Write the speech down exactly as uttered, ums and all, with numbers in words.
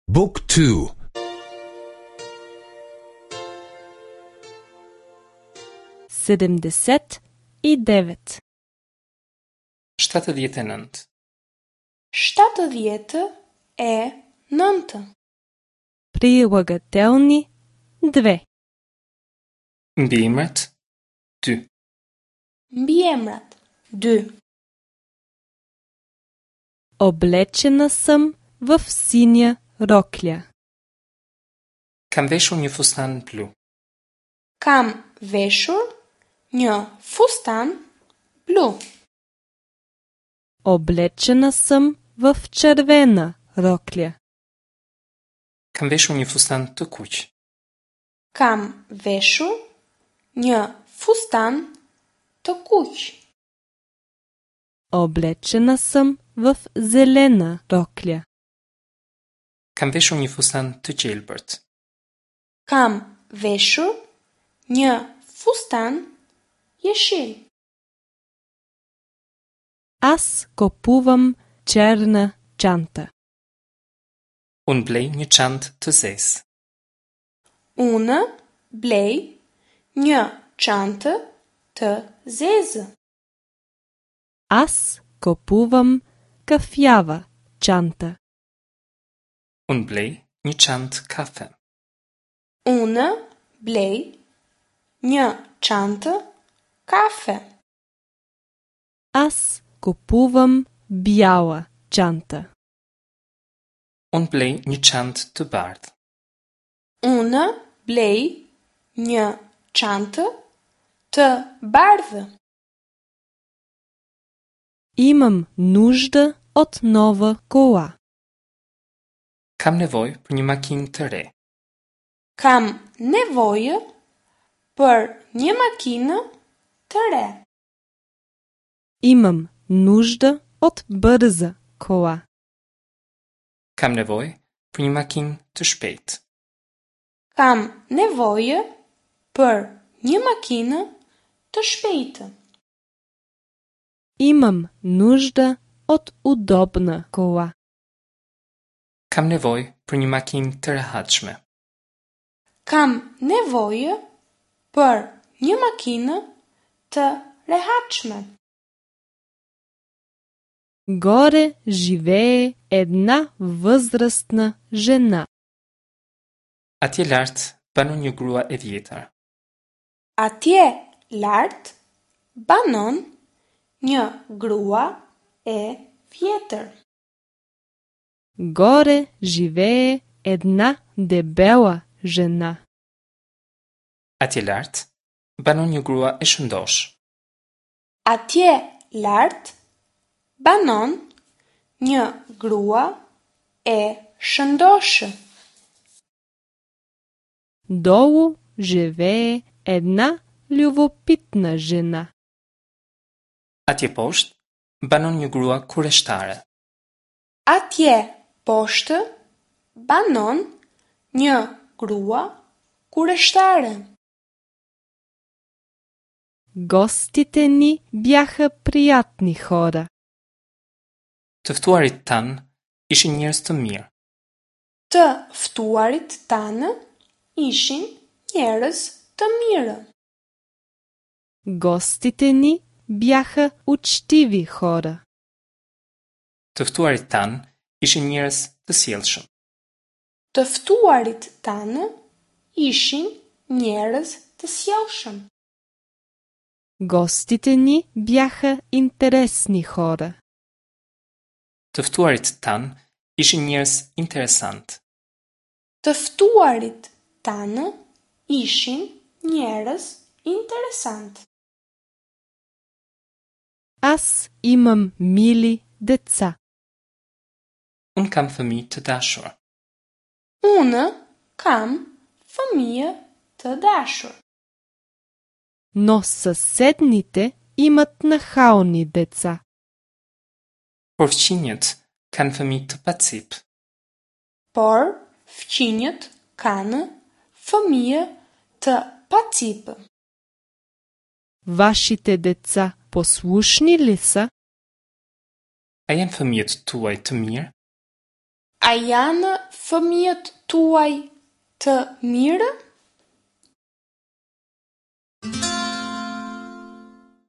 Book two. Седемдесет и девет. Shtatëdhjetë e nëntë. Shtatëdhjetë e nëntë. Прилагателни две. Mbiemrat dy. Mbiemrat dy. Облечена съм в синя рокля. Kam veshur një fustan blu. Kam veshur një fustan blu. Облечена съм в червена рокля. Kam veshur një fustan të kuq. Kam veshur një fustan të kuq. Облечена съм в зелена рокля. Kam veshur një fustan të gjelbërt. Kam veshur një fustan jeshil. Аз купувам черна чанта. Unë blej një çantë të zezë. Unë blej një çantë të zezë. Аз купувам кафява чанта. Unë blej një çantë kafe. Unë blej një çantë kafe. Аз купувам бяла чанта. Unë blej një çantë të bardhë. Unë blej një çantë të bardhë. Имам нужда от нова кола. Kam nevojë për një makinë të re. Kam nevojë për një makinë të re. Имам нужда от бърза кола. Kam nevojë për një makinë të shpejtë. Kam nevojë për një makinë të shpejtë. Имам нужда от удобна кола. Kam nevojë për një makinë të rehatshme. Kam nevojë për një makinë të rehatshme. Горе живее една възрастна жена. Atje lart banon një grua e vjetër. Atje lart banon një grua e vjetër. Горе живее една дебела жена. Atje lart banon një grua e shëndoshë. Atje lart banon një grua e shëndoshë. Долу живее една любопитна жена. Atje poshtë banon një grua kureshtare. Atje poshtë banon një grua kureshtare. Гостите ни бяха приятни хора. Të ftuarit tanë ishin njerëz të mirë. Të ftuarit tanë ishin njerëz të mirë. Гостите ни бяха учтиви хора. Të ftuarit tanë ishin njerëz të sjellshëm. Të ftuarit tanë ishin njerëz të sjellshëm. Гостите ни бяха интересни хора. Të ftuarit tanë ishin njerëz interesant. Të ftuarit tanë ishin njerëz interesant. Аз имам мили деца. Unë kam fëmijë të dashur. Unë kam fëmijë të dashur. Но съседните имат нахални деца. Por fqinjët kanë fëmijë të pacip. Por fqinjët kanë fëmijë të pacip. Вашите деца послушни ли са? A janë fëmijët tuaj të mirë? A janë fëmijët tuaj të mirë?